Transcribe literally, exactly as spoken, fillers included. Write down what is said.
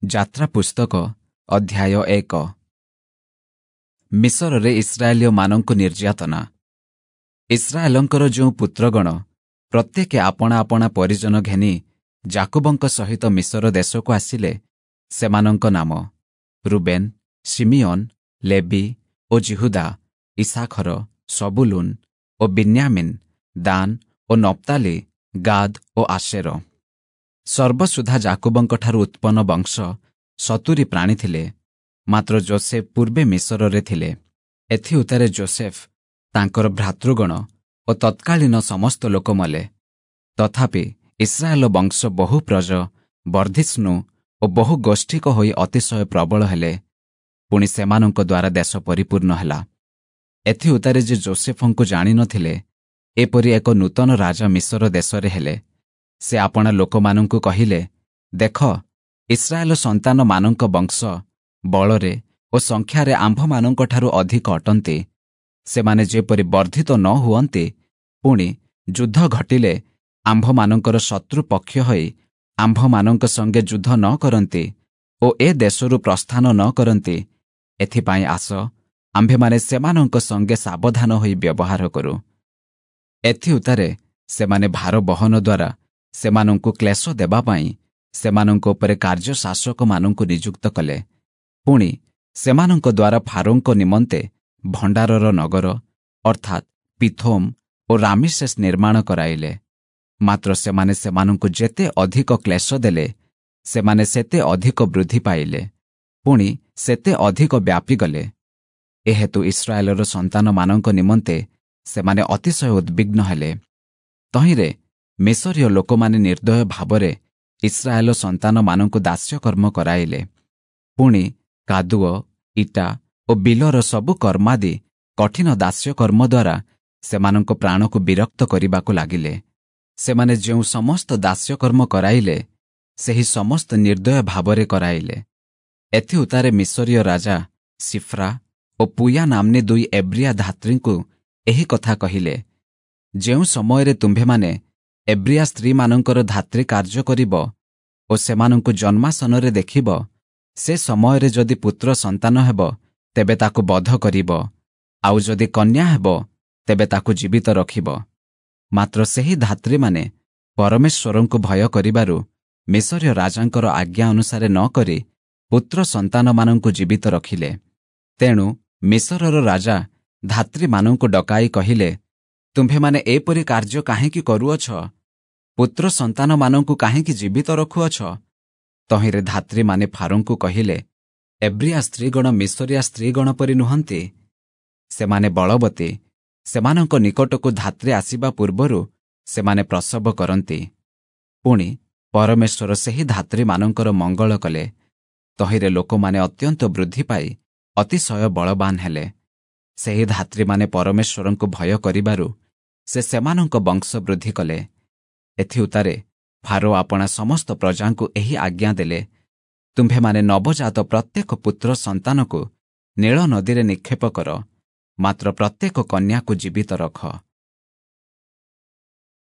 ଯାତ୍ରା ପୁସ୍ତକ ଅଧ୍ୟାୟ ଏକ। ମିଶରରେ ଇସ୍ରାଏଲୀୟମାନଙ୍କୁ ନିର୍ଯାତନା। ଇସ୍ରାଏଲଙ୍କର ଯେଉଁ ପୁତ୍ରଗଣ ପ୍ରତ୍ୟେକେ ଆପଣା ଆପଣା ପରିଜନ ଘେନି ଯାକୁବଙ୍କ ସହିତ ମିଶର ଦେଶକୁ ଆସିଲେ, ସେମାନଙ୍କ ନାମ ରୁବେନ୍, ଶିମିୟୋନ, ଲେବି ଓ ଯିହୁଦା, ଇସାଖର, ସବୁଲୁନ ଓ ବିନ୍ୟାମିନ୍, ଦାନ ଓ ନପ୍ତାଲି, ଗାଦ୍ ଓ ଆଶେର। ସର୍ବସୁଦ୍ଧା ଯାକୁବଙ୍କଠାରୁ ଉତ୍ପନ୍ନ ବଂଶ ସତୁରି ପ୍ରାଣୀ ଥିଲେ, ମାତ୍ର ଜୋସେଫ ପୂର୍ବେ ମିଶରରେ ଥିଲେ। ଏଥିଉତ୍ତାରେ ଜୋସେଫ, ତାଙ୍କର ଭ୍ରାତୃଗଣ ଓ ତତ୍କାଳୀନ ସମସ୍ତ ଲୋକ ମଲେ। ତଥାପି ଇସ୍ରାଏଲ ବଂଶ ବହୁ ପ୍ରଜ, ବର୍ଦ୍ଧିଷ୍ଣୁ ଓ ବହୁ ଗୋଷ୍ଠୀକ ହୋଇ ଅତିଶୟ ପ୍ରବଳ ହେଲେ। ପୁଣି ସେମାନଙ୍କ ଦ୍ୱାରା ଦେଶ ପରିପୂର୍ଣ୍ଣ ହେଲା। ଏଥିଉତ୍ତାରେ ଯେ ଜୋସେଫଙ୍କୁ ଜାଣିନଥିଲେ, ଏପରି ଏକ ନୂତନ ରାଜା ମିଶର ଦେଶରେ ହେଲେ। ସେ ଆପଣା ଲୋକମାନଙ୍କୁ କହିଲେ, ଦେଖ, ଇସ୍ରାଏଲ ସନ୍ତାନମାନଙ୍କ ବଂଶ ବଳରେ ଓ ସଂଖ୍ୟାରେ ଆମ୍ଭମାନଙ୍କଠାରୁ ଅଧିକ ଅଟନ୍ତି। ସେମାନେ ଯେପରି ବର୍ଦ୍ଧିତ ନ ହୁଅନ୍ତି, ପୁଣି ଯୁଦ୍ଧ ଘଟିଲେ ଆମ୍ଭମାନଙ୍କର ଶତ୍ରୁ ପକ୍ଷ ହୋଇ ଆମ୍ଭମାନଙ୍କ ସଙ୍ଗେ ଯୁଦ୍ଧ ନ କରନ୍ତି ଓ ଏ ଦେଶରୁ ପ୍ରସ୍ଥାନ ନ କରନ୍ତି, ଏଥିପାଇଁ ଆସ, ଆମ୍ଭେମାନେ ସେମାନଙ୍କ ସଙ୍ଗେ ସାବଧାନ ହୋଇ ବ୍ୟବହାର କରୁ। ଏଥିଉତ୍ତାରେ ସେମାନେ ଭାର ବହନ ଦ୍ୱାରା ସେମାନଙ୍କୁ କ୍ଲେଶ ଦେବା ପାଇଁ ସେମାନଙ୍କ ଉପରେ କାର୍ଯ୍ୟ ଶାସକମାନଙ୍କୁ ନିଯୁକ୍ତ କଲେ। ପୁଣି ସେମାନଙ୍କ ଦ୍ୱାରା ଫାରୋଙ୍କ ନିମନ୍ତେ ଭଣ୍ଡାରର ନଗର, ଅର୍ଥାତ୍ ପିଥୋମ୍ ଓ ରାମିସେସ୍ ନିର୍ମାଣ କରାଇଲେ। ମାତ୍ର ସେମାନେ ସେମାନଙ୍କୁ ଯେତେ ଅଧିକ କ୍ଲେଶ ଦେଲେ, ସେମାନେ ସେତେ ଅଧିକ ବୃଦ୍ଧି ପାଇଲେ, ପୁଣି ସେତେ ଅଧିକ ବ୍ୟାପିଗଲେ। ଏହେତୁ ଇସ୍ରାଏଲର ସନ୍ତାନମାନଙ୍କ ନିମନ୍ତେ ସେମାନେ ଅତିଶୟ ଉଦ୍ବିଗ୍ନ ହେଲେ। ତହିଁରେ ମିଶରୀୟ ଲୋକମାନେ ନିର୍ଦ୍ଦୟ ଭାବରେ ଇସ୍ରାଏଲ ସନ୍ତାନମାନଙ୍କୁ ଦାସ୍ୟକର୍ମ କରାଇଲେ। ପୁଣି କାଦୁଅ, ଇଟା ଓ ବିଲର ସବୁ କର୍ମାଦି କଠିନ ଦାସ୍ୟକର୍ମ ଦ୍ୱାରା ସେମାନଙ୍କ ପ୍ରାଣକୁ ବିରକ୍ତ କରିବାକୁ ଲାଗିଲେ। ସେମାନେ ଯେଉଁ ସମସ୍ତ ଦାସ୍ୟକର୍ମ କରାଇଲେ, ସେହି ସମସ୍ତ ନିର୍ଦ୍ଦୟ ଭାବରେ କରାଇଲେ। ଏଥିଉତ୍ତାରେ ମିଶରୀୟ ରାଜା ସିଫ୍ରା ଓ ପୁୟା ନାମ୍ନୀ ଦୁଇ ଏବ୍ରିଆ ଧାତ୍ରୀଙ୍କୁ ଏହି କଥା କହିଲେ, ଯେଉଁ ସମୟରେ ତୁମ୍ଭେମାନେ ଏବ୍ରିଆ ସ୍ତ୍ରୀମାନଙ୍କର ଧାତ୍ରୀ କାର୍ଯ୍ୟ କରିବ ଓ ସେମାନଙ୍କୁ ଜନ୍ମାସନରେ ଦେଖିବ, ସେ ସମୟରେ ଯଦି ପୁତ୍ର ସନ୍ତାନ ହେବ, ତେବେ ତାକୁ ବଧ କରିବ, ଆଉ ଯଦି କନ୍ୟା ହେବ, ତେବେ ତାକୁ ଜୀବିତ ରଖିବ। ମାତ୍ର ସେହି ଧାତ୍ରୀମାନେ ପରମେଶ୍ୱରଙ୍କୁ ଭୟ କରିବାରୁ ମିଶରୀୟ ରାଜାଙ୍କର ଆଜ୍ଞା ଅନୁସାରେ ନ କରି ପୁତ୍ର ସନ୍ତାନମାନଙ୍କୁ ଜୀବିତ ରଖିଲେ। ତେଣୁ ମିଶରର ରାଜା ଧାତ୍ରୀମାନଙ୍କୁ ଡକାଇ କହିଲେ, ତୁମ୍ଭେମାନେ ଏପରି କାର୍ଯ୍ୟ କାହିଁକି କରୁଅଛ? ପୁତ୍ର ସନ୍ତାନମାନଙ୍କୁ କାହିଁକି ଜୀବିତ ରଖୁଅଛ? ତହିଁରେ ଧାତ୍ରୀମାନେ ଫାରୋଙ୍କୁ କହିଲେ, ଏବ୍ରିଆ ସ୍ତ୍ରୀଗଣ ମିଶରିଆ ସ୍ତ୍ରୀଗଣ ପରି ନୁହନ୍ତି। ସେମାନେ ବଳବତୀ, ସେମାନଙ୍କ ନିକଟକୁ ଧାତ୍ରୀ ଆସିବା ପୂର୍ବରୁ ସେମାନେ ପ୍ରସବ କରନ୍ତି। ପୁଣି ପରମେଶ୍ୱର ସେହି ଧାତ୍ରୀମାନଙ୍କର ମଙ୍ଗଳ କଲେ। ତହିଁରେ ଲୋକମାନେ ଅତ୍ୟନ୍ତ ବୃଦ୍ଧି ପାଇ ଅତିଶୟ ବଳବାନ ହେଲେ। ସେହି ଧାତ୍ରୀମାନେ ପରମେଶ୍ୱରଙ୍କୁ ଭୟ କରିବାରୁ ସେ ସେମାନଙ୍କ ବଂଶ ବୃଦ୍ଧି କଲେ। ଏଥିଉତ୍ତାରେ ଫାରୋ ଆପଣା ସମସ୍ତ ପ୍ରଜାଙ୍କୁ ଏହି ଆଜ୍ଞା ଦେଲେ, ତୁମ୍ଭେମାନେ ନବଜାତ ପ୍ରତ୍ୟେକ ପୁତ୍ର ସନ୍ତାନକୁ ନୀଳ ନଦୀରେ ନିକ୍ଷେପ କର, ମାତ୍ର ପ୍ରତ୍ୟେକ କନ୍ୟାକୁ ଜୀବିତ ରଖ।